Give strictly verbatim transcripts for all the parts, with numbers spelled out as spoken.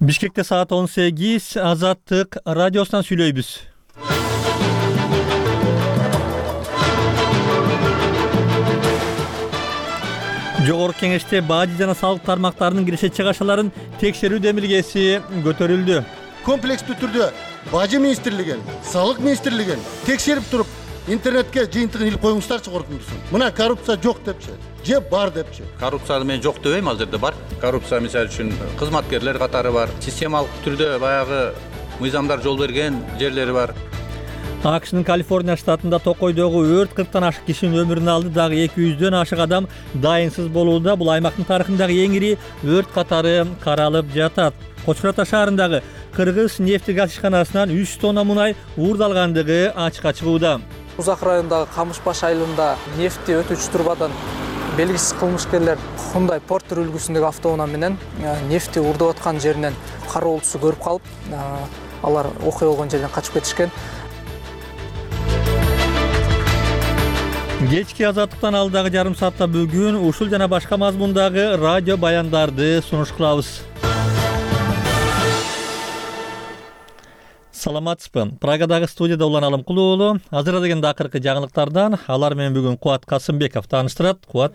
Бишкекте саат он сегиз, Азаттык радиосунан сүйлөйбүз. Жогорку кеңеште бажы жана салык тармактарынын киреше чыгашаларын текшерүү демилгеси көтөрүлдү. Комплекстүү түрдө бажы министрлигин, салык министрлигин текшерип туруп, интернетке жыйынтыгын илип коюңуздарчы коркуңдусун. Мына коррупция жок депчи, же бар депчи. Коррупцияны мен жок дебейм, азырда бар. Коррупция мисалы үчүн кызматкерлер катары бар. Системалык түрдө баягы мыйзамдар жол берген жерлери бар. АКШнын Калифорния штатында Токойдогу өрт кырктан ашык кишинин өмүрүн алды, дагы эки жүздөн ашык адам дайынсыз болууда. Бул аймактын тарыхындагы эң ири өрт катары каралып жатат. Кочкор Ата шаарындагы Кыргыз нефти газ ишканасынан үч тонна мунай уурдалгандыгы ачыкка чыгууда. Узак райондагы Камышбаш айылында нефти өтүүчү турбадан белгисиз кылмышкерлер Hyundai Porter үлгүсүндөгү автоунаа менен нефти уурдап аткан жеринен кароолчусу көрүп калып, алар окуя болгон жерден качып кетишкен. Кечки Азаттыктан алдагы жарым саатта бүгүн ушул жана башка мазмундагы радио баяндарды сунуш кылабыз. Саламатсызбы. Прагадагы студияда Улан Алымкул уулу. Азыр дегенде акыркы жаңылыктардан алар менен бүгүн Кубат Касымбеков тааныштырат. Кубат.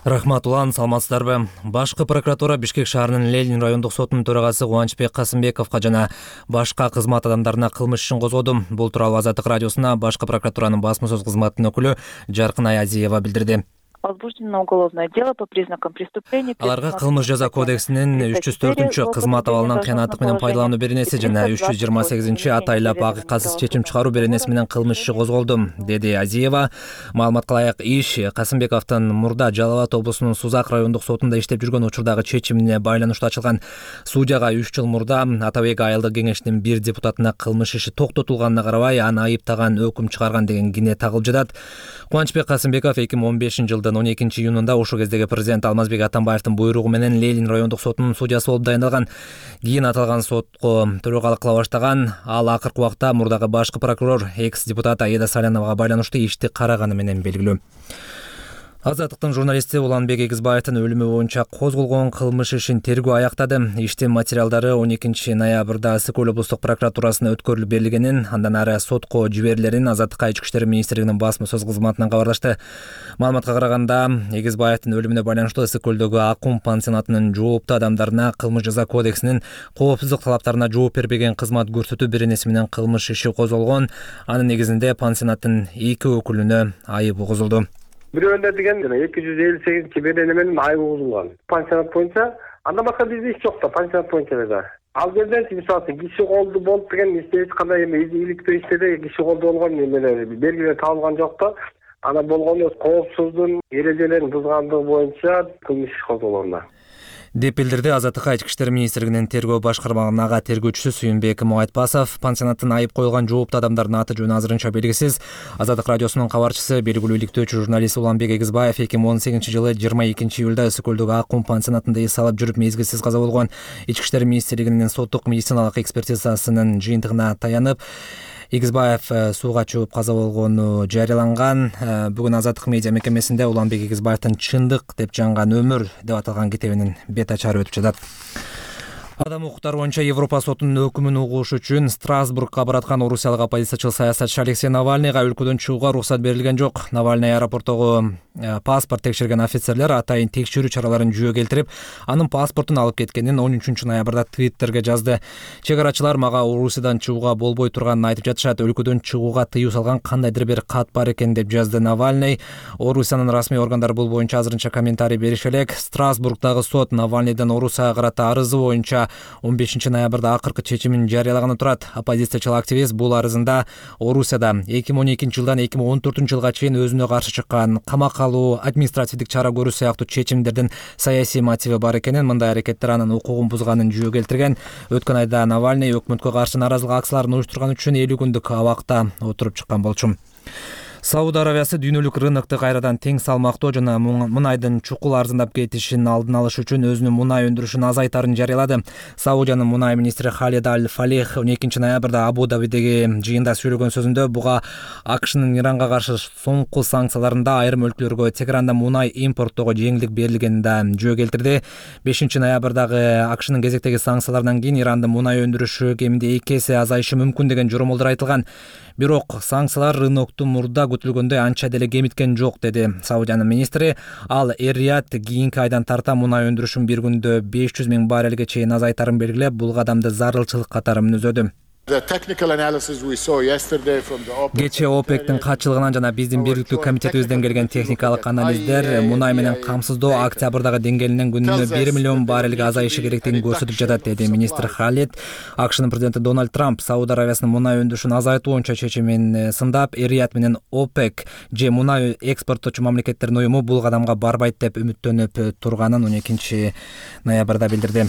Рахмат Улан, саламатсыздарбы. Башкы прокуратура Бишкек шаарынын Ленин райондук сотунун төрагасы Кубанычбек Касымбековго жана башка кызмат адамдарына кылмыш ишин козгоду. Бул тууралуу Азаттык радиосуна башкы прокуратуранын басма сөз кызматынын өкүлү Жаркын Аязиева билдирди. Возбуждено уголовное дело по признакам преступления. Аларга кылмыш жаза кодексинин үч жүз төртүнчү кызмат абалынан кыянаттык менен пайдалануу беренеси жана үч жүз жыйырма сегизинчи атайлап акыйкатсыз чечим чыгаруу беренеси менен кылмыш иши козголду, деди Азиева. Маалыматка ылайык, иш Касымбековдун мурда Жалал Абад облусунун Сузак райондук сотунда иштеп жүргөн учурдагы чечимине байланыштуу ачылган. Судьяга үч жыл мурда Атабек айылдык кеңешинин бир депутатына кылмыш иши токтотулганына карабай аны айыптаган өкүм чыгарган деген кине тагылып жатат. Кубанычбек Касымбеков эки миң он бешинчи жылдын он экинчи июнунда ошол кездеги президент Алмазбек Атамбаевдин буйругу менен Ленин райондук сотунун судьясы болуп дайындалган. Кийин аталган сотко төрагалык кыла баштаган. Ал акыркы убакта мурдагы башкы прокурор экс-депутат Аида Саляновага байланыштуу ишти караганы менен белгилүү. Азаттыктын журналисти Уланбек Эгизбаевдин өлүмү боюнча козголгон кылмыш ишин тергөө аяктады. Иштин материалдары он экинчи ноябрда Ысык-Көл облустук прокуратурасына өткөрүлүп берилгенин, андан ары сотко жиберилерин Азаттыкка Ички иштер министрлигинин басма сөз кызматынан кабарлашты. Маалыматка караганда, Эгизбаевдин өлүмүнө байланыштуу Ысык-Көлдөгү Акум пансионатынын жооптуу адамдарына кылмыш жаза кодексинин коопсуздук талаптарына жооп бербеген кызмат көрсөтүү беренеси менен кылмыш иши козголгон. Анын негизинде пансионаттын эки өкүлүнө айып угузулду. Бирөөнө деген эки жүз элүү сегизинчи берене менен айып угузулган. Пансионат боюнча андан башка бизде иш жок да, пансионат боюнча да. Ал жерден мисалы киши колду болуп деген иште эч кандай эме иликтөө иштеде киши колду болгон эмелер белгилер табылган жок да. Ана болгону коопсуздун эрежелерин бузгандыгы боюнча кылмыш иш козголгон. деп билдирди Азаттыкка Ички иштер министрлигинин тергөө башкармагынын ага тергөөчүсү Сүйүнбек Муайтпасов. Пансионаттын айып коюлган жооптуу адамдардын аты жөнү азырынча белгисиз. Азаттык радиосунун кабарчысы, белгилүү иликтөөчү журналист Уланбек Эгизбаев эки миң он сегизинчи жылы жыйырма экинчи июлда Ысык-Көлдөгү Акум пансионатында эс алып жүрүп мезгилсиз каза болгон. Ички иштер министрлигинин соттук медициналык экспертизасынын жыйынтыгына таянып, Эгизбаев сууга чыгып каза болгону жарыяланган. Бүгүн Азаттык медиа мекемесинде Уланбек Эгизбаевдин Чындык деп жанган өмүр деп аталган китебинин бет ачары өтүп жатат. Адам укуктары боюнча Европа сотунун өкүмүн угуш үчүн Страсбургга бараткан орусиялык оппозициячыл саясатчы Алексей Навальныйга өлкөдөн чыгууга уруксат берилген жок. Навальный аэропорттогу паспорт текшерген офицерлер атайын текшерүү чараларын жүйө келтирип, анын паспортун алып кеткенин он үчүнчү ноябрда Твиттерге жазды. Чек арачылар мага Орусиядан чыгууга болбой турганын айтып жатышат. Өлкөдөн чыгууга тыюу салган кандайдыр бир кат бар экен деп жазды Навальный. Орусиянын расмий органдары бул боюнча азырынча комментарий берише элек. Страсбургдагы сот Навальныйдын Орусияга карата арызы боюнча он бешинчи ноябрда акыркы чечимин жарыялаганы турат. Оппозициячыл активист бул арызында Орусияда эки миң он экинчи жылдан эки миң он төртүнчү жылга чейин өзүнө каршы чыккан камакка алуу, административдик чара көрүү сыяктуу чечимдердин саясий мотиви бар экенин, мындай аракеттер анын укугун бузганын жүйө келтирген. Өткөн айда Навальный өкмөткө каршы нааразылык акцияларын уюштурган үчүн элүү күндүк абакта отуруп чыккан болчу. Сауд Арабиясы дүйнөлүк рынокто кайрадан тең салмактоо жана мунайдын чукул арзандап кетишин алдын алыш үчүн өзүнүн мунай өндүрүшүн азайтарын жарыялады. Саудиянын мунай министри Халид Аль-Фалих он экинчи ноябрда Абу-Дабидеги жыйында сүйлөгөн сөзүндө буга АКШнын Иранга каршы соңку санкцияларында айрым өлкөлөргө Тегеранда мунай импорттоого жеңилдик берилгенин да жөө келтирди. бешинчи ноябрдагы АКШнын кезектеги санкцияларынан кийин Ирандын мунай өндүрүшү кеминде эки эсе азайышы мүмкүн деген жоромолдор айтылган. Бирок санкциялар рынокту мурда күтүлгөндөй анча деле кемиткен жок, деди Саудиянын министри. Ал Эр-Рияд кийинки айдан тарта мунай өндүрүшүн бир күндө беш жүз миң баррелге чейин азайтарын белгилеп, бул кадамды зарылчылык катары мүнөздөдү. Кечээ ОПЕКтин катчылыгынан жана биздин бирдиктүү комитетибизден келген техникалык анализдер мунай менен камсыздоо октябрдагы деңгээлинен күнүнө бир миллион баррелге азайышы керектигин көрсөтүп жатат, деди министр Халид. АКШнын президенти Дональд Трамп Сауд Арабиясынын мунай өндүрүшүн азайтуу боюнча чечимин сындап, Эр-Рияд менен ОПЕК же мунай экспорттоочу мамлекеттердин уюму бул кадамга барбайт деп үмүттөнүп турганын он экинчи ноябрда билдирди.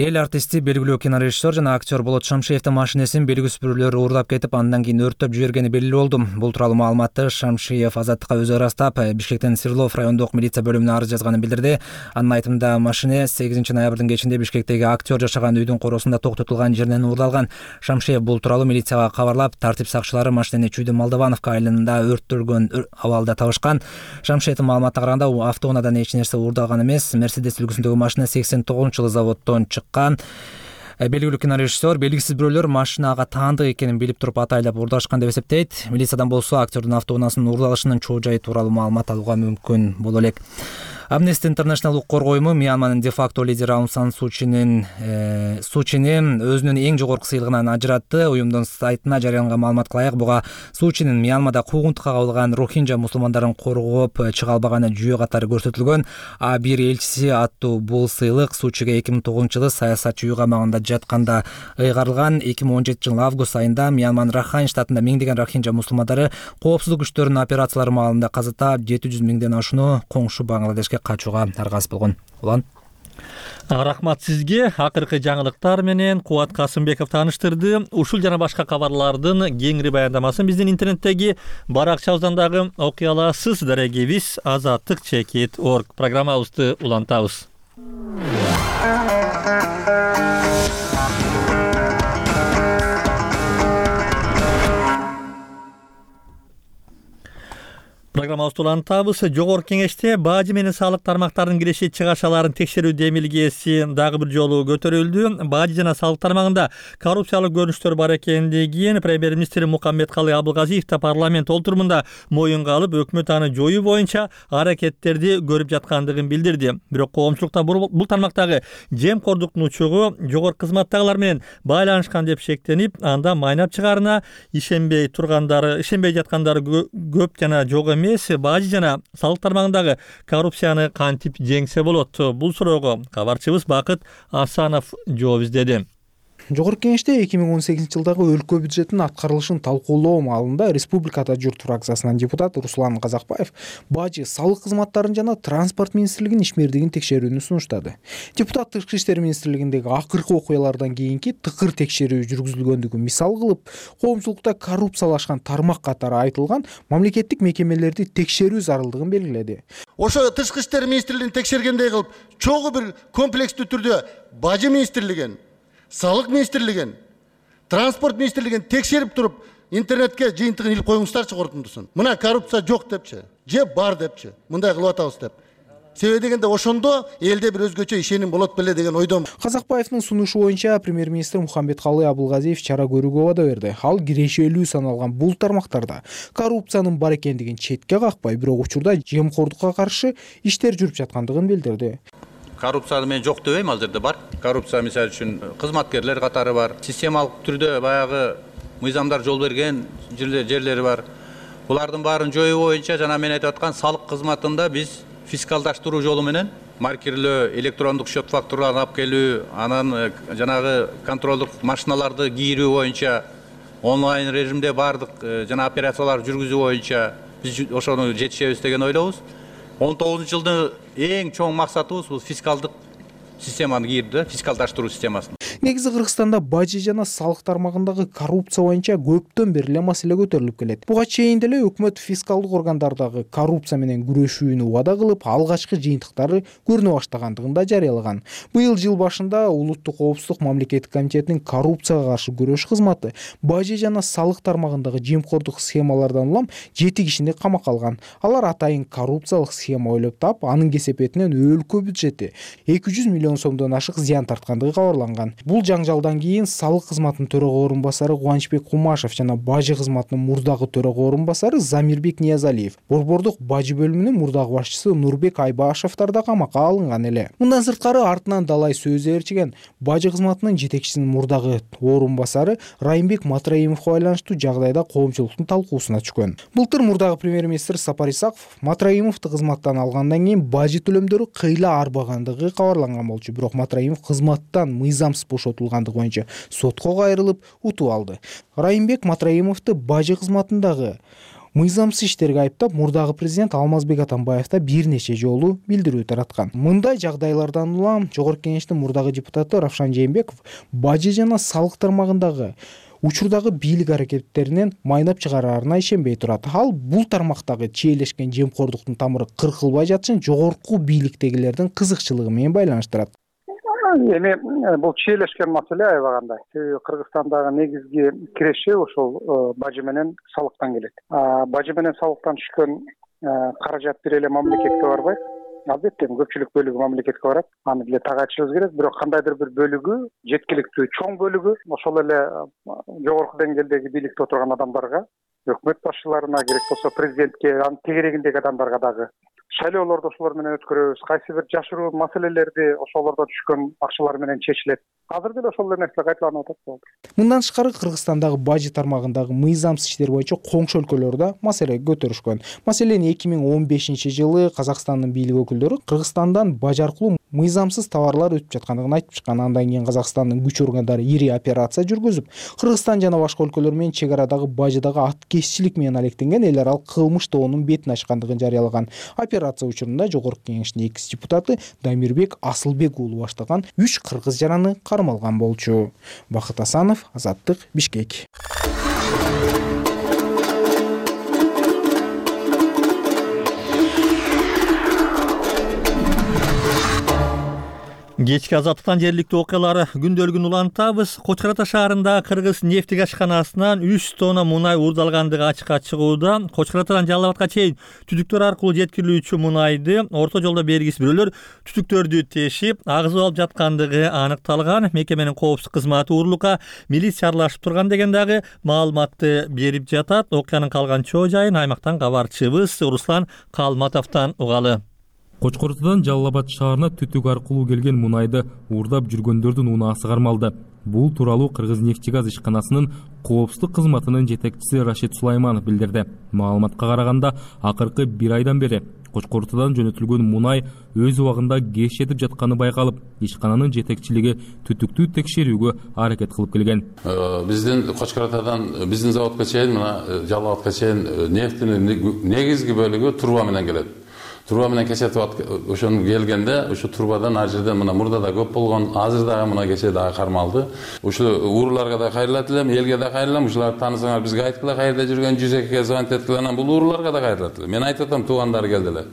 Эл артисти, белгилүү кинорежиссер жана актер Болот Шамшиевдин машинесин белгисиз бирөөлөр уурдап кетип, андан кийин өрттөп жибергени белгилүү болду. Бул тууралуу маалыматты Шамшиев Азаттыкка өзү ырастап, Бишкектин Свердлов райондук милиция бөлүмүнө арыз жазганын билдирди. Анын айтымында машине сегизинчи ноябрдын кечинде Бишкектеги актер жашаган үйдүн коросунда токтотулган жеринен уурдалган. Шамшиев бул тууралуу милицияга кабарлап, тартип сакчылары машинени Чүйдү Молдовановка айылында өрттөлгөн абалда табышкан. Шамшиевдин маалыматына караганда, автоунаадан эч нерсе уурдалган эмес. Мерседес үлгүсүндөгү машина сексен тогузунчу жылы заводдон чыккан. Белгилүү кинорежиссер белгисиз бирөөлөр машинага таандык экенин билип туруп атайлап уурдашкан деп эсептейт. Милициядан болсо актердин автоунаасынын уурдалышынын чоо жайы тууралуу маалымат алууга мүмкүн боло элек. Amnesty International укук уюму Мьянманын де-факто лидери Аун Сан Сучинин Сучини өзүнүн эң жогорку сыйлыгынан ажыратты. Уюмдун сайтына жарыяланган маалыматка ылайык, буга Сучинин Мьянмада куугунтукка кабылган рохинджа мусулмандарын коргоп чыга албаганы жүйө катары көрсөтүлгөн. А бир элчиси аттуу бул сыйлык Сучиге эки миң тогузунчу жылы саясатчы үй камагында жатканда ыйгарылган. эки миң он жетинчи жылы август айында Мьянманын Рахайн штатында миңдеген рохинджа мусулмандары коопсуздук күчтөрүнүн операциялары маалында каза таап, жети жүз миңден ашууну коңшу Бангладешке качууга аргасыз болгон. Улан. Рахмат сизге. Акыркы жаңылыктар менен Кубат Касымбеков тааныштырды. Ушул жана башка кабарлардын кеңири баяндамасын биздин интернеттеги баракчабыздан дагы окуй аласыз. Дарегибиз азаттык чекит точка орг. Программабызды улантабыз. Программабызды улантабыз. Жогорку кеңеште бажы менен салык тармактарынын киреше чыгашаларын текшерүү демилгеси дагы бир жолу көтөрүлдү. Бажы жана салык тармагында коррупциялык көрүнүштөр бар экендигин премьер-министр Мукаммедкалый Абылгазиев да парламент олтурумунда моюнга алып, өкмөт аны жоюу боюнча аракеттерди көрүп жаткандыгын билдирди. Бирок коомчулукта бул тармактагы жемкордуктун учугу жогорку кызматтагылар менен байланышкан деп шектенип, анда майнап чыгаарына ишенбей тургандары, ишенбей жаткандары көп жана жок эмес. Бажы жана салык тармагындагы коррупцияны кантип жеңсе болот? Бул суроого кабарчыбыз Бакыт Асанов жооп издеди. Жогорку кеңеште эки миң он сегизинчи жылдагы өлкө бюджетинин аткарылышын талкуулоо маалында Республикада журт фракциясынан депутат Руслан Казакбаев бажы, салык кызматтарын жана транспорт министрлигинин ишмердигин текшерүүнү сунуштады. Депутат Тышкы иштер министрлигиндеги акыркы окуялардан кийинки тыкыр текшерүү жүргүзүлгөндүгүн мисал кылып, коомчулукта коррупциялашкан тармак катары айтылган мамлекеттик мекемелерди текшерүү зарылдыгын белгиледи. Ошо Тышкы иштер министрлигин текшергендей кылып, чогуу бир комплекстүү түрдө бажы министрлигин, салык министрлигин, транспорт министрлигин текшерип туруп, интернетке жыйынтыгын илип коюңуздарчы корутундусун. Мына коррупция жок депчи, же бар депчи. Мындай кылып атабыз деп. Себеби дегенде ошондо элде бир өзгөчө ишеним болот беле деген ойдом. Казакбаевдин сунушу боюнча премьер-министр Мукаммедкалый Абылгазиев чара көрүүгө убада берди. Ал кирешелүү саналган бул тармактарда коррупциянын бар экендигин четке какпай, бирок учурда жемкордукка каршы иштер жүрүп жаткандыгын билдирди. Коррупция мен жок дебейм, ал жерде бар. Коррупция мисалы үчүн кызматкерлер катары бар. Системалык түрдө баягы мыйзамдар жол берген жерлери бар. Булардын баарын жоюу боюнча жана мен айтып аткан салык кызматында биз фискалдаштыруу жолу менен маркерлөө, электрондук счет фактураларын алып келүү, анан жанагы контролдук машиналарды кийирүү боюнча онлайн режимде бардык жана операциялар жүргүзүү боюнча биз ошону жетишебиз деген ойлобуз. он тогузунчу жылдын эң чоң максатыбыз бул фискалдык системаны кийирүү, фискалдаштыруу системасын. Негизи Кыргызстанда бажы жана салык тармагындагы коррупция боюнча көптөн бери эле маселе көтөрүлүп келет. Буга чейин деле өкмөт фискалдык органдардагы коррупция менен күрөшүүнү убада кылып, алгачкы жыйынтыктары көрүнө баштагандыгын да жарыялаган. Быйыл жыл башында Улуттук коопсуздук мамлекеттик комитетинин коррупцияга каршы күрөш кызматы бажы жана салык тармагындагы жемкордук схемалардан улам жети кишини камакка алган. Алар атайын коррупциялык схема ойлоп таап, анын кесепетинен өлкө бюджети эки жүз миллион сомдон ашык зыян тарткандыгы кабарланган. Бул жаңжалдан кийин салык кызматынын төрага орун басары Кубанычбек Кумашев жана бажы кызматынын мурдагы төрага орун басары Замирбек Ниязалиев, борбордук бажы бөлүмүнүн мурдагы башчысы Нурбек Айбашевдер да камакка алынган эле. Мындан сырткары артынан далай сөз ээрчиген бажы кызматынын жетекчисинин мурдагы орун басары Райымбек Матраимовго байланыштуу жагдайда коомчулуктун талкуусуна түшкөн. Былтыр мурдагы премьер-министр Сапар Исаков Матраимовду кызматтан алгандан кийин бажы төлөмдөрү кыйла арбагандыгы кабарланган болчу. Бирок Матраимов кызматтан мыйзамсыз бошотулгандыгы боюнча сотко кайрылып утуп алды. Райымбек Матраимовду бажы кызматындагы мыйзамсыз иштерге айыптап, мурдагы президент Алмазбек Атамбаев да бир нече жолу билдирүү тараткан. Мындай жагдайлардан улам Жогорку Кеңештин мурдагы депутаты Равшан Жээнбеков бажы жана салык тармагындагы учурдагы бийлик аракеттеринен майнап чыгараарына ишенбей турат. Ал бул тармактагы чийлешкен жемкордуктун тамыры кыркылбай жатышын жогорку бийликтегилердин кызыкчылыгы менен байланыштырат. Эми бул чийлешкен маселе аябагандай. Кыргызстандагы негизги киреши ошол бажы менен салыктан келет. Бажы менен салыктан түшкөн каражат бир эле мамлекетке барбайт. Албетте көпчүлүк бөлүгү мамлекетке барат. Аны деле так айтышыбыз керек. Бирок кандайдыр бир бөлүгү, жеткиликтүү чоң бөлүгү ошол эле жогорку деңгээлдеги бийликте отурган адамдарга, өкмөт башчыларына, керек болсо президентке, анын тегерегиндеги адамдарга дагы шайлоолорду ошолор менен өткөрөбүз. Кайсы бир жашыруу маселелерди ошолордон түшкөн акчалар менен чечилет. Азыр деле ошол эле нерсе кайталанып атат. Мындан тышкары Кыргызстандагы бажы тармагындагы мыйзамсыз иштер боюнча коңшу өлкөлөр да маселе көтөрүшкөн. Маселен, эки миң он бешинчи жылы Казакстандын бийлик өкүлдөрү Кыргызстандан бажы аркылуу мыйзамсыз товарлар өтүп жаткандыгын айтып чыккан. Андан кийин Казакстандын күч органдары ири операция жүргүзүп, Кыргызстан жана башка өлкөлөр менен чек арадагы бажыдагы аткезчилик менен алектенген эл аралык кылмыш тобунун бетин ачкандыгын жарыялаган. Операция учурунда Жогорку Кеңештин экс депутаты Дамирбек Асылбек уулу баштаган үч кыргыз жараны кармалган болчу. Бакыт Асанов, Азаттык, Бишкек. Кечки азаттыктан жергиликтүү окуялары күндөлүгүн улантабыз. Кочкор Ата шаарындагы Кыргыз нефтик ашканасынан үч тонна мунай уурдалгандыгы ачыкка чыгууда. Кочкор Атадан Жалал абадка чейин түтүктөр аркылуу жеткирилүүчү мунайды орто жолдо белгисиз бирөөлөр түтүктөрдү тешип, агызып алып жаткандыгы аныкталган. Мекеменин коопсуздук кызматы уурулукка милиция аралашып турган деген дагы маалыматты берип жатат. Окуянын калган чоо жайын аймактан кабарчыбыз Руслан Калматовдон угалы. Кочкор Атадан Жалал Абад шаарына түтүк аркылуу келген мунайды уурдап жүргөндөрдүн унаасы кармалды. Бул тууралуу Кыргыз нефтегаз ишканасынын коопсуздук кызматынын жетекчиси Рашид Сулайманов билдирди. Маалыматка караганда, акыркы бир айдан бери Кочкор Атадан жөнөтүлгөн мунай өз убагында кеш жетип жатканы байкалып, ишкананын жетекчилиги түтүктү текшерүүгө аракет кылып келген. Биздин Кочкор Атадан биздин заводко чейин, мына Жалал Абадка чейин нефтинин негизги бөлүгү труба менен келет. Труба менен кечетип ошону келгенде, ошо трубадан ар жерден мына мурда да көп болгон, азыр дагы мына кече дагы кармалды. Ошо ууруларга да кайрылат элем, элге да кайрылам. Ушуларды таанысаңар бизге айткыла, каерде жүргөн жүз экиге звонить эткиле, анан бул ууруларга да кайрылат элем. Мен айтып атам, туугандары келдилер.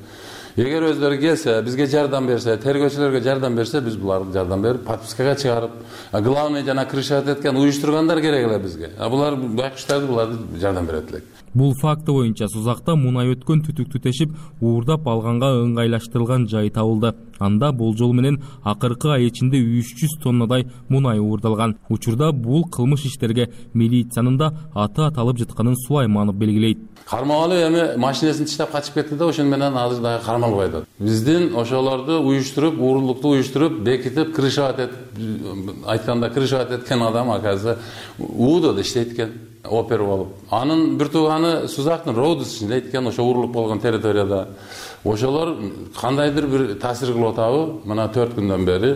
Эгер өздөрү келсе, бизге жардам берсе, тергөөчүлөргө жардам берсе, биз буларга жардам берип, подпискага чыгарып, главный жана крышат эткен уюштургандар керек эле бизге. А булар байкуштарды буларды жардам берет элек. Бул факты боюнча Сузакта мунай өткөн түтүктү тешип, уурдап алганга ыңгайлаштырылган жай табылды. Анда болжол менен акыркы ай ичинде үч жүз тоннадай мунай уурдалган. Учурда бул кылмыш иштерге милициянын да аты аталып жатканын Сулайманов белгилейт. Кармалуу эми машинесин таштап качып кетти да, ошону менен азыр дагы кармалбай атат. Биздин ошолорду уюштуруп, уурулукту уюштуруп, бекитип, крышат этип, айтканда крышат эткен адам аказы уудода иштейт экен. Опер болуп. Анын бир тууганы Сузактын Роудус ичинде экен, ошо уурулук болгон территорияда. Ошолор кандайдыр бир таасир кылып атабы? Мына төрт күндөн бери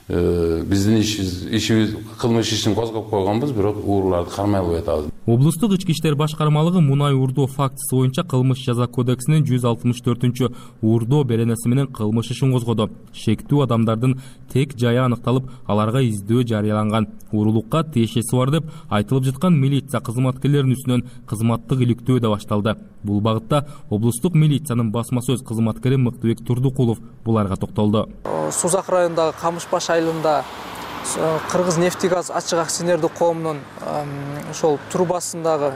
биздин ишибиз, кылмыш ишин козгоп койгонбуз, бирок ууруларды кармай албай атабыз. Облустук ички иштер башкармалыгы мунай уурдоо фактысы боюнча кылмыш жаза кодексинин жүз алтымыш төртүнчү уурдоо беренеси менен кылмыш ишин козгоду. Шектүү адамдардын тек жайы аныкталып, аларга издөө жарыяланган. Уурулукка тиешеси бар деп айтылып жаткан милиция кызматкерлеринин үстүнөн кызматтык иликтөө да башталды. Бул багытта облустук милициянын басма сөз кызматкери Мыктыбек Турдукулов буларга токтолду. Сузак районундагы Камыш баш айылында Кыргыз нефтегаз ачык акционердик коомунун ошол турбасындагы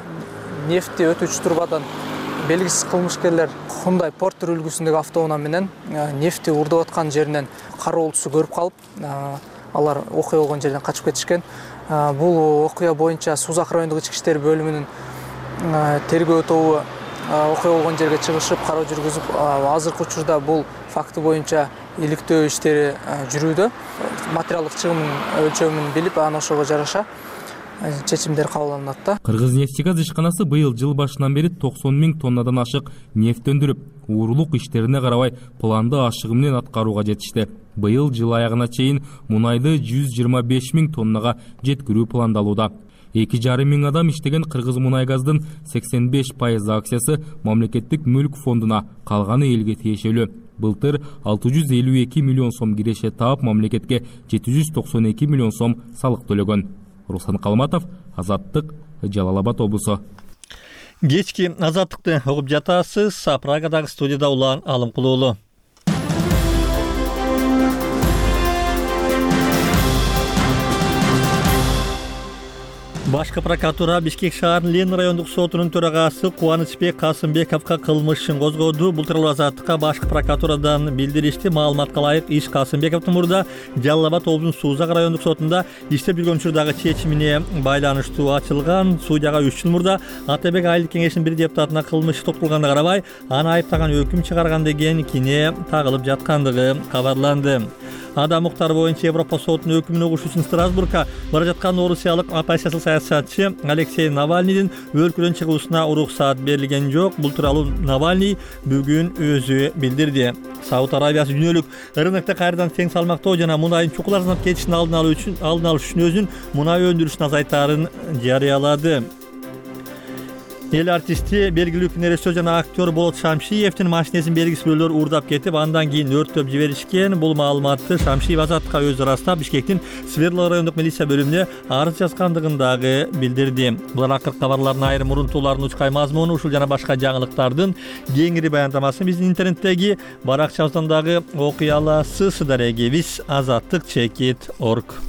нефти өтүүчү турбадан белгисиз кылмышкерлер Hyundai Porter үлгүсүндөгү автоунаа менен нефти уурдап аткан жеринен кароолчусу көрүп калып, алар окуя болгон жерден качып кетишкен. Бул окуя боюнча Сузак райондук ички иштер бөлүмүнүн тергөө тобу окуя болгон жерге чыгышып, кароо жүргүзүп, азыркы учурда бул факты боюнча иликтөө иштери жүрүүдө. Материалдык чыгымын өлчөмүн билип, аны ошого жараша чечимдер кабыл да. Кыргыз нефтегаз ишканасы быйыл жыл башынан бери токсон миң тоннадан ашык нефт өндүрүп, уурулук иштерине карабай планды ашыгы менен аткарууга жетишти. Быйыл жыл аягына чейин мунайды жүз жыйырма беш миң тоннага жеткирүү пландалууда. эки жарым миң адам иштеген Кыргыз мунайгаздын сексен беш пайыз акциясы мамлекеттик мүлк фондуна, калганы элге тиешелүү. Былтыр алты жүз элүү эки миллион сом киреше таап, мамлекетке жети жүз токсон эки миллион сом салык төлөгөн. Руслан Калматов, Азаттык, Жалал Абад облусу. Кечки Азаттыкты угуп жатасыз. Прагадагы студияда Улан Алымкулуулу. Башкы прокуратура Бишкек шаарынын Ленин райондук сотунун төрагасы Кубанычбек Касымбековго кылмыш ишин козгоду. Бул тууралуу Азаттыкка башкы прокуратурадан билдиришти. Маалыматка ылайык, иш Касымбековдун мурда Жалал Абад облусунун Сузак райондук сотунда иштеп жүргөн учурдагы чечимине байланыштуу ачылган. Судьяга үч жыл мурда Ата бек айылдык кеңешинин бир депутатына кылмыш токтолгонуна карабай, аны айыптаган өкүм чыгарган деген кине тагылып жаткандыгы кабарланды. Адам укуктары боюнча Европа сотунун өкүмүн угуш үчүн Страсбургка бара жаткан орусиялык оппозициялык саясатчы Алексей Навальныйдын өлкөдөн чыгуусуна уруксаат берилген жок. Бул тууралуу Навальный бүгүн өзү билдирди. Сауд Арабиясы дүйнөлүк рынокто кайрадан тең салмактоо жана мунайдын чукуласынап кетишин алдын алуу үчүн алдын алыш үчүн өзүнүн мунай өндүрүшүн азайтаарын жарыялады. Эл артисти белгилүү кинорежиссер жана актер Болот Шамшиевдин машинесин белгисиз бирөөлөр уурдап кетип, андан кийин өрттөп жиберишкен. Бул маалыматты Шамшиев Азаттыкка өзү ырастап, Бишкектин Свердлов райондук милиция бөлүмүнө арыз жазгандыгын дагы билдирди. Булар акыркы кабарлардын айрым урунтууларынын учкай мазмуну, ушул жана башка жаңылыктардын кеңири баяндамасын биздин интернеттеги баракчабыздан дагы окуй аласыз. Дарегебиз азаттык чекит точка орг.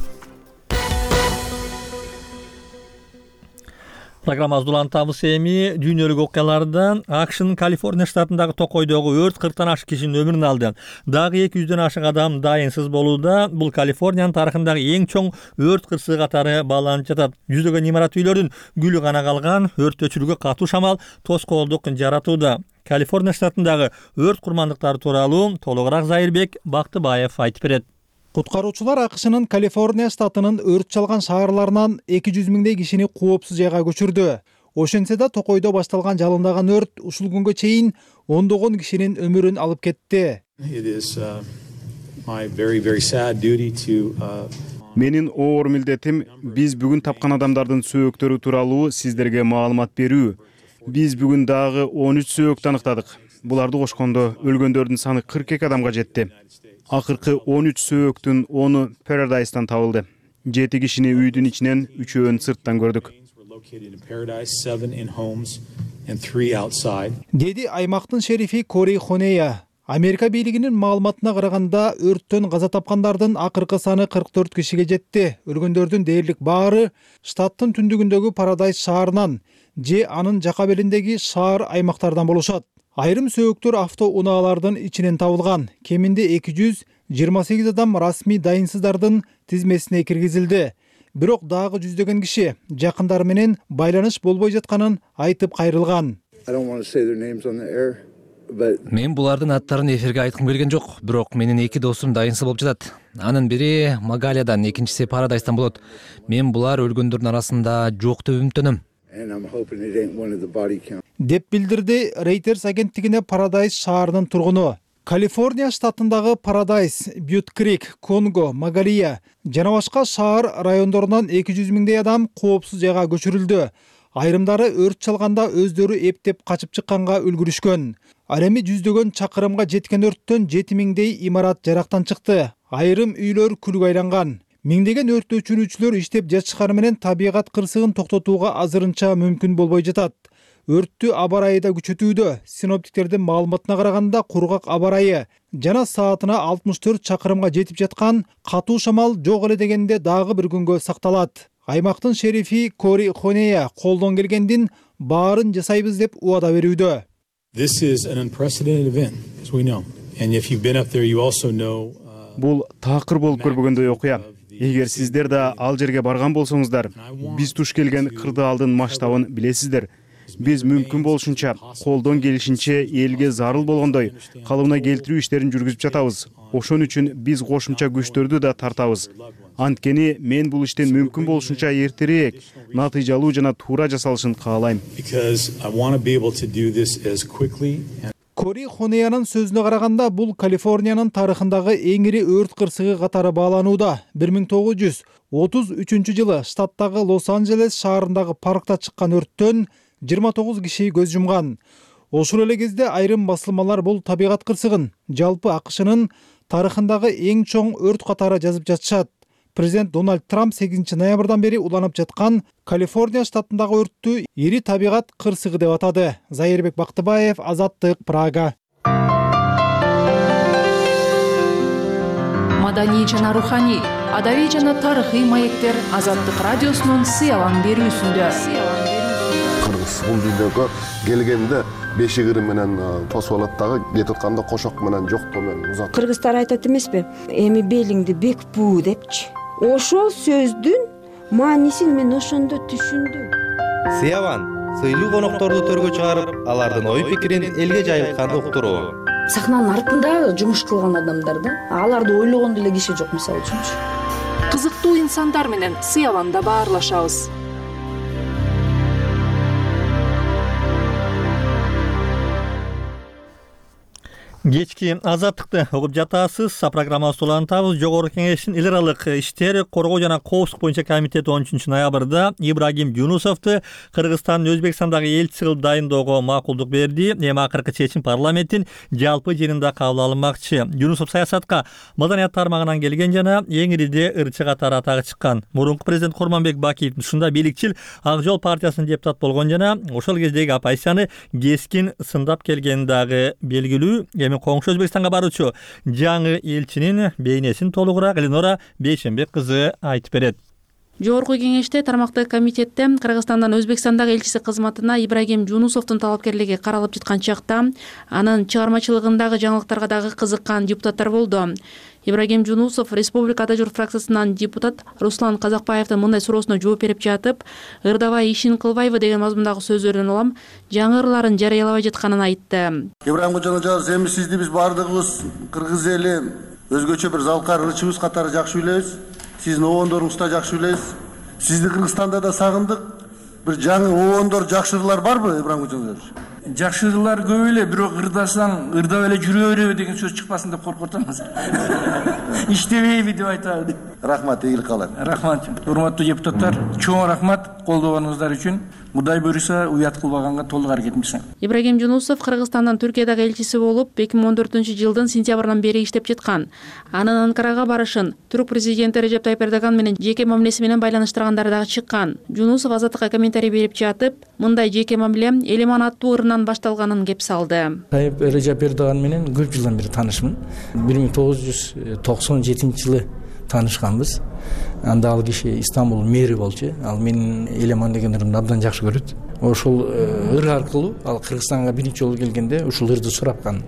Программабыз улантабыз эми дүйнөлүк окуялардан. АКШнын Калифорния штатындагы токойдогу өрт кырктан ашык кишинин өмүрүн алды. Дагы эки жүздөн ашык адам дайынсыз болууда. Бул Калифорниянын тарыхындагы эң чоң өрт кырсыгы катары бааланып жатат. Жүздөгөн имарат үйлөрдүн күлү гана калган. Өрт өчүрүүгө катуу шамал тоскоолдук жаратууда. Калифорния штатындагы өрт курмандыктары тууралуу толугураак Зайырбек Бактыбаев айтып берет. Куткаруучулар АКШнын Калифорния штатынын өрт чалган шаарларынан эки жүз миңдей кишини коопсуз жайга көчүрдү. Ошентсе да Токойдо башталган жалындаган өрт ушул күнгө чейин ондогон кишинин өмүрүн алып кетти. Менин оор милдетим биз бүгүн тапкан адамдардын сөөктөрү тууралуу сиздерге маалымат берүү. Биз бүгүн дагы он үч сөөктү аныктадык. Буларды кошкондо өлгөндөрдүн саны кырк эки адамга жетти. Акыркы он үч сөөктүн ону Paradise-тан табылды. жети кишини үйдүн ичинен, үчөөнү сырттан көрдүк. Деди аймактын шерифи Кори Хонея. Америка бийлигинин маалыматына караганда өрттөн каза тапкандардын акыркы саны кырк төрт кишиге жетти. Өлгөндөрдүн дээрлик баары штаттын түндүгүндөгү Paradise шаарынан же анын жака белиндеги шаар аймактардан болушат. Айрым сөөктөр автоунаалардын ичинен табылган. Кеминде эки жүз жыйырма сегиз адам расмий дайынсыздардын тизмесине киргизилди. Бирок дагы жүздөгөн киши жакындары менен байланыш болбой жатканын айтып кайрылган. Мен булардын аттарын эфирге айткым келген жок, бирок менин эки досум дайынсыз болуп жатат. Анын бири Магалиядан, экинчиси Paradise-тан болот. Мен булар өлгөндөрдүн арасында жок деп үмүттөнөм. Деп билдирди Reuters агенттигине Paradise шаарынын тургуну. Калифорния штатындагы Paradise, Butte Creek, Конго, Магалия жана башка шаар райондорунан эки жүз миңдей адам коопсуз жайга көчүрүлдү. Айрымдары өрт чалганда өздөрү эптеп качып чыкканга үлгүрүшкөн. Ал эми жүздөгөн чакырымга жеткен өрттөн жети миңдей имарат жарактан чыкты. Айрым үйлөр күлгө айланган. Миңдеген өрт өчүрүүчүлөр иштеп жатышканы менен табигат кырсыгын токтотууга азырынча мүмкүн болбой жатат. Өрттү аба ырайы да күчөтүүдө. Синоптиктердин маалыматына караганда кургак аба ырайы жана саатына алтымыш төрт чакырымга жетип жаткан катуу шамал жок эле дегенде дагы бир күнгө сакталат. Аймактын шерифи Кори Хонея колдон келгендин баарын жасайбыз деп убада берүүдө. This is an unprecedented event, as we know. And if you've been up there, you also know. Бул такыр болуп көрбөгөндөй окуя. Эгер сиздер да ал жерге барган болсоңуздар, биз туш келген кырдаалдын масштабын билесиздер. Биз мүмкүн болушунча, колдон келишинче элге зарыл болгондой калыбына келтирүү иштерин жүргүзүп жатабыз. Ошон үчүн биз кошумча күчтөрдү да тартабыз. Анткени мен бул иштин мүмкүн болушунча эртерээк, натыйжалуу жана туура жасалышын каалайм. Кори Хонеянын сөзүнө караганда, бул Калифорниянын тарыхындагы эң ири өрт кырсыгы катары бааланууда. бир миң тогуз жүз отуз үчүнчү жылы штаттагы Лос-Анджелес шаарындагы паркта чыккан өрттөн жыйырма тогуз киши көз жумган. Ошол эле кезде айрым басылмалар бул табигат кырсыгын жалпы АКШнын тарыхындагы эң чоң өрт катары жазып жатышат. Президент Дональд Трамп сегизинчи ноябрдан бери уланып жаткан Калифорния штатындагы өрттү ири табигат кырсыгы деп атады. Зайырбек Бактыбаев, Азаттык, Прага. Маданий жана руханий, адабий жана тарыхый маектер Азаттык радиосунун сыялан берүүсүндө. Кыргыз бул дүйнөгө келгенде беши кырым менен тосуп алат дагы, кетип атканда кошок менен жоктоо менен узат. Кыргыздар айтат эмеспи? Эми белиңди бек буу депчи. Ошол сөздүн маанисин мен ошондо түшүндүм. Сыяван сыйлуу конокторду төргө чыгарып, алардын ой пикирин элге жайылткан уктуруу. Сахнанын артында жумуш кылган адамдар да, аларды ойлогон деле киши жок, мисалы үчүнчү. Кызыктуу инсандар менен Сыяванда баарлашабыз. Кечки азаттыкты угуп жатасыз. Программабызды улантабыз. Жогорку кеңештин эл аралык иштер коргоо жана коопсуздук боюнча комитети он үчүнчү ноябрда Ибрагим Жунусовду Кыргызстандын Өзбекстандагы элчиси кылып дайындоого макулдук берди. Эми акыркы чечим парламенттин жалпы жыйынында кабыл алынмакчы. Жунусов саясатка маданият тармагынан келген жана эң ириде ырчы катары атагы чыккан. Мурунку президент Курманбек Бакиевдин ушунда бийликчил Ак Жол партиясынын депутаты болгон жана ошол кездеги оппозицияны кескин сындап келгени дагы белгилүү. Эми коңшу Өзбекстанга баруучу жаңы элчинин бейнесин толугураак Эленора Бейшенбек кызы айтып берет. Жогорку кеңеште тармактык комитетте Кыргызстандан Өзбекстандагы элчиси кызматына Ибрагим Жунусовдун талапкерлиги каралып жаткан чакта анын чыгармачылыгындагы жаңылыктарга дагы кызыккан депутаттар болду. Ибрагим Жунусов Республика Ата журт фракциясынан депутат Руслан Казакбаевдин мындай суроосуна жооп берип жатып, ырдабай ишин кылбайбы деген мазмундагы сөздөрүн улам жаңы ырларын жарыялабай жатканын айтты. Ибрагим Кожонович, эми сизди биз баардыгыбыз кыргыз эли өзгөчө бир залкар ырчыбыз катары жакшы билебиз. Сиздин обондоруңузду да жакшы билебиз. Сизди Кыргызстанда да сагындык. Бир жаңы обондор, жакшы ырлар барбы, Ибрагим Кожонович? Жакшы ырлар көп эле, бирок ырдасаң, ырдап эле жүрө береби деген сөз чыкпасын деп коркуп атабыз. Иштебейби деп айтабы. Рахмат, ийгилик каалайм. Рахмат. Урматтуу депутаттар, чоң рахмат колдогонуңуздар үчүн. Кудай буюрса, уят кылбаганга толук аракетимиз. Ибрагим Жунусов Кыргызстандын Түркиядагы элчиси болуп эки миң он төртүнчү жылдын сентябрынан бери иштеп жаткан. Анын Анкарага барышын Түрк президенти Режеп Тайып Эрдоган менен жеке мамилеси менен байланыштыргандары дагы чыккан. Жунусов Азаттыкка комментарий берип жатып, мындай жеке мамиле Элеман аттуу ырынан башталганын кеп салды. Тайып Режеп Эрдоган менен көп жылдан бери таанышмын. бир миң тогуз жүз токсон жетинчи жылы таанышканбыз. Анда ал киши Истанбул мэри болчу. Ал менин Элеман деген ырымды абдан жакшы көрөт. Ошол ыр аркылуу ал Кыргызстанга биринчи жолу келгенде ушул ырды сурапкан.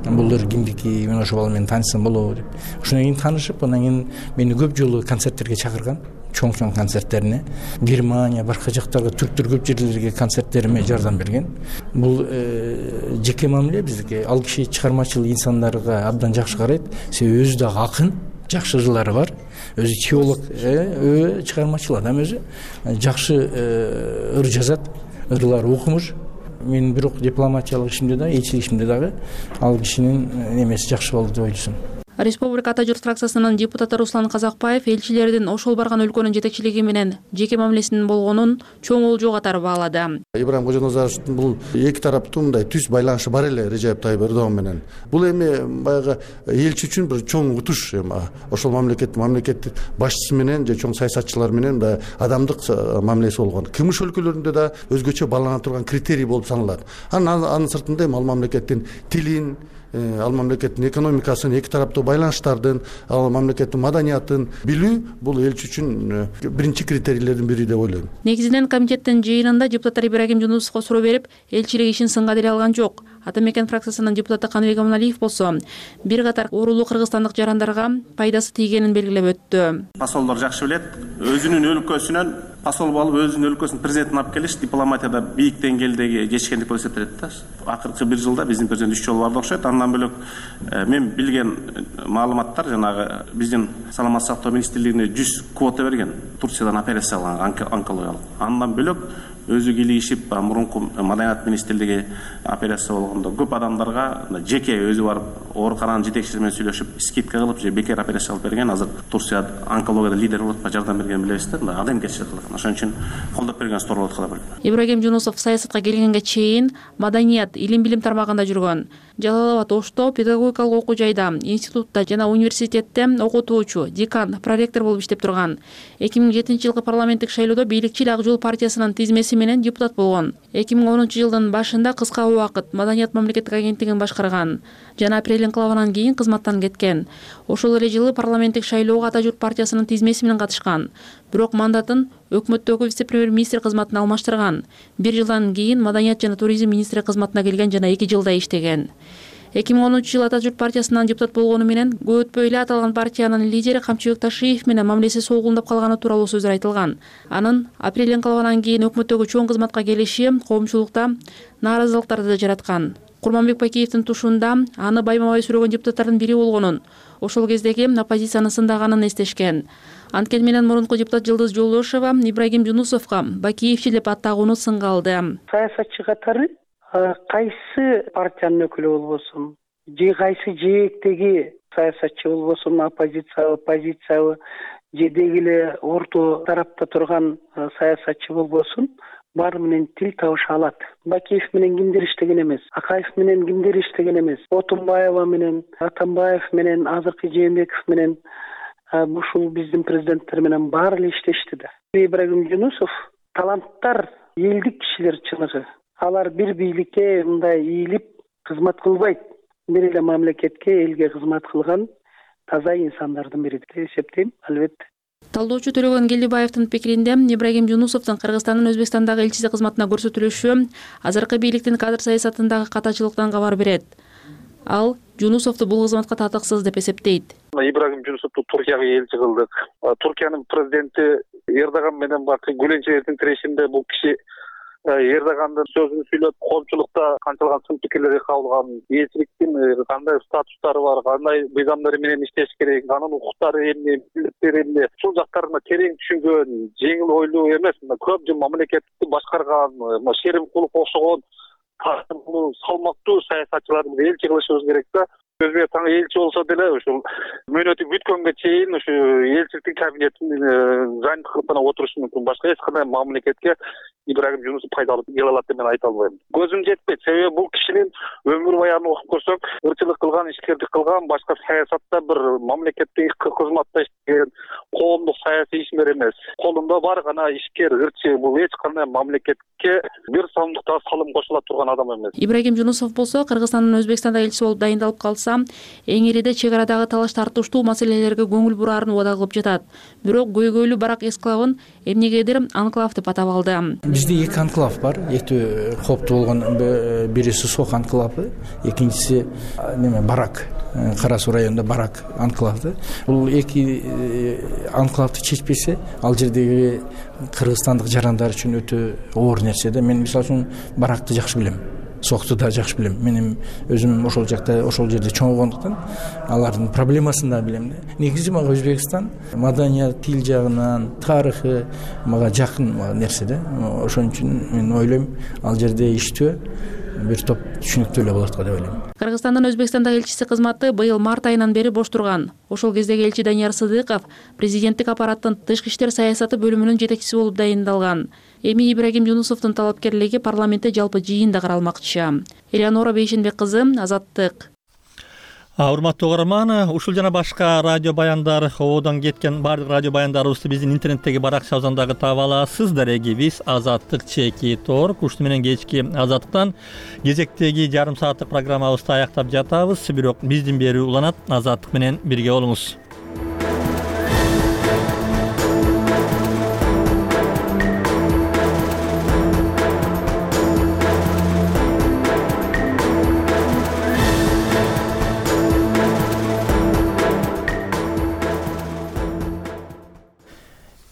Бул ыр кимдики, мен ошол менен таанышсам болобу деп. Ошондон кийин таанышып, андан кийин мени көп жолу концерттерге чакырган. Чоң-чоң концерттерине, Германия, башка жактарга, түрктөр көп жерлерге концерттериме жардам берген. Бул жеке мамиле бизге. Ал киши чыгармачыл инсандарга абдан жакшы карайт. Себеби өзү дагы акын, жакшы ырлары бар. Өзү теолог, чыгармачыл адам өзү. Жакшы ыр жазат, ырлары окумуш. Мен бирок дипломатиялык ишимде да, элчилик ишимде дагы ал кишинин немеси жакшы болду деп ойлойсуң. Республика Ата журт фракциясынын депутаты Руслан Казакбаев элчилердин ошол барган өлкөнүн жетекчилиги менен жеке мамилесинин болгонун чоң олжоо катары баалады. Ибрагим Кожоназаровдун бул эки тараптуу мындай түз байланышы бар эле Режеп Тайып Эрдоган менен. Бул эми баягы элчи үчүн бир чоң утуш. Ошол мамлекет мамлекет башчысы менен же чоң саясатчылар менен да адамдык мамилеси болгон. Кымыш өлкөлөрүндө да өзгөчө баалана турган критерий болуп саналат. Анын анын сыртында ал мамлекеттин тилин, ал мамлекеттин экономикасын, эки тараптуу байланыштардын, ал мамлекеттин маданиятын билүү бул элчи үчүн биринчи критерийлердин бири деп ойлойм. Негизинен комитеттин жыйынында депутаттар Ибрагим Жунусовго суроо берип, элчилик ишин сынга деле алган жок. Ата мекен фракциясынын депутаты Каныбек Аманалиев болсо, бир катар оорулуу кыргызстандык жарандарга пайдасы тийгенин белгилеп өттү. Посолдор жакшы билет, өзүнүн өлкөсүнөн посол болуп, өзүнүн өлкөсүнүн президентин алып келиш дипломатияда бийик деңгээлдеги жетишкендик болуп эсептелет да. Акыркы бир жылда биздин президент үч жолу барды окшойт. Андан бөлөк мен билген маалыматтар жанагы биздин саламаттык сактоо министрлигине жүз квота берген Турциядан операция кылган онкологиялык. Андан бөлөк өзү кийлигишип мурунку маданият министрлиги операция болгондо көп адамдарга жеке өзү барып оорукананын жетекчиси менен сүйлөшүп скидка кылып же бекер операция кылып берген. Азыр Турция онкологияда лидер болуп жардам берген билебиз да. Адамгерчилик кылган. Ошон үчүн колдоп берген стор болот кала берет. Ибрагим Жунусов саясатка келгенге чейин маданият, илим билим тармагында жүргөн. Жалал Абад Ошто педагогикалык окуу жайда, институтта жана университетте окутуучу, декан, проректор болуп иштеп турган. эки миң жетинчи жылкы парламенттик шайлоодо бийликчил Ак жол партиясынын тизмеси менен депутат болгон. эки миң онунчу жылдын башында кыска убакыт Маданият мамлекеттик агенттигин башкарган жана апрель инкылабынан кийин кызматтан кеткен. Ошол эле жылы парламенттик шайлоого Ата журт партиясынын тизмеси менен катышкан. Бирок мандатын өкмөттөгү вице-премьер-министр кызматына алмаштырган. Бир жылдан кийин Маданият жана туризм министри кызматына келген жана эки жылда иштеген. эки миң онунчу жылы Ата журт партиясынан депутат болгону менен көп өтпөй эле аталган партиянын лидери Камчыбек Ташиев менен мамилеси солгундап калганы тууралуу сөздөр айтылган. Анын апрель инкылабынан кийин өкмөттөгү чоң кызматка келиши коомчулукта нааразылыктарды да жараткан. Курманбек Бакиевдин тушунда аны байма-бай сүрөгөн депутаттардын бири болгонун, ошол кездеги оппозицияны сындаганын эстешкен. Анткени менен мурунку депутат Жылдыз Жолдошова Ибрагим Жунусовго Бакиевчи деп аттагууну сынга алды. Саясатчы катары кайсы партиянын өкүлү болбосун, же кайсы жээктеги саясатчы болбосун, оппозициябы, позициябы, же деги эле орто тарапта турган саясатчы болбосун, баары менен тил табыша алат. Бакиев менен кимдир иштеген эмес, Акаев менен кимдир иштеген эмес, Отунбаева менен, Атамбаев менен, азыркы Жээнбеков менен, ушул биздин президенттер менен баары эле иштешти да. Ибрагим Жунусов таланттар, элдик кишилер чыныгы. Алар бир бийликке мындай ийилип кызмат кылбайт. Бир эле мамлекетке, элге кызмат кылган таза инсандардын бири деп эсептейм, албетте. Талдоочу Төлөгөн Келдибаевдин пикиринде Ибрагим Жунусовдун Кыргызстандын Өзбекстандагы элчиси кызматына көрсөтүлүшү азыркы бийликтин кадр саясатындагы катачылыктан кабар берет. Ал Жунусовду бул кызматка татыксыз деп эсептейт. Ибрагим Жунусовду Туркияга элчи кылдык. Туркиянын президенти Эрдоган менен бакы гүлөнчөлөрдүн тирешинде бул киши Эрдогандын сөзүн сүйлөп, коомчулукта канчалган сын пикирлерди кабыл алган, элчиликтин кандай статустары бар, кандай мыйзамдары менен иштеш керек, анын укуктары эмне, милдеттери эмне, ушул жактарына терең түшүнгөн, жеңил ойлуу эмес, көп жыл мамлекетти башкарган, Шеримкулов окшогон салмактуу саясатчыларды элчи кылышыбыз керек да. Өзбекстанга элчи болсо деле ушул мөөнөтү бүткөнгө чейин ушу элчиликтин кабинетинин занят кылып гана отурушу мүмкүн. Башка эч кандай мамлекетке Ибрагим Жунусов пайдалуу келе алат деп мен айта албайм. Көзүм жетпейт. Себеби бул кишинин өмүр баянын окуп көрсөк, ырчылык кылган, ишкердик кылган, башка саясатта бир мамлекеттик кызматта иштеген, коомдук саясий ишмер эмес. Колунда бар гана ишкер, ырчы. Бул эч кандай мамлекетке бир сомдук да салым кошула турган адам эмес. Ибрагим Жунусов болсо Кыргызстандын Өзбекстанда элчиси болуп дайындалып калса, эң ириде чек арадагы талаш тартыштуу маселелерге көңүл бураарын убада кылып жатат. Бирок көйгөйлүү барак эсклавын эмнегедир анклав деп атап алды. Бизде эки анклав бар. Эки коптуу болгон, бириси Сок анклавы, экинчиси неме Барак, Кара Суу районунда Барак анклавы. Бул эки анклавды чечпесе, ал жердеги кыргызстандык жарандар үчүн өтө оор нерсе да. Мен мисалы үчүн Баракты жакшы билем. Сокту да жакшы билем. Менин өзүм ошол жакта, ошол жерде чоңойгондуктан алардын проблемасын да билем. Негизи мага Өзбекстан маданият, тил жагынан, тарыхы мага жакын нерсе да. Ошон үчүн мен ойлойм, ал жерде иштөө бир топ түшүнүктүү эле болот го деп ойлойм. Кыргызстандын Өзбекстандагы элчиси кызматы быйыл март айынан бери бош турган. Ошол кездеги элчи Данияр Сыдыков президенттик аппараттын тышкы иштер саясаты бөлүмүнүн жетекчиси болуп дайындалган. Эми Ибрагим Жунусовдун талапкерлиги парламентте жалпы жыйында каралмакчы. Элеонора Бейшенбек кызы, Азаттык. Урматтуу угарман, ушул жана башка радио баяндар, ободон кеткен бардык радио баяндарыбызды биздин интернеттеги баракчабыздан дагы таба аласыз. Дарегибиз Азаттык чеки торк. Ушуну менен кечки Азаттыктан кезектеги жарым сааттык программабызды аяктап жатабыз. Бирок биздин берүү уланат. Азаттык менен бирге болуңуз.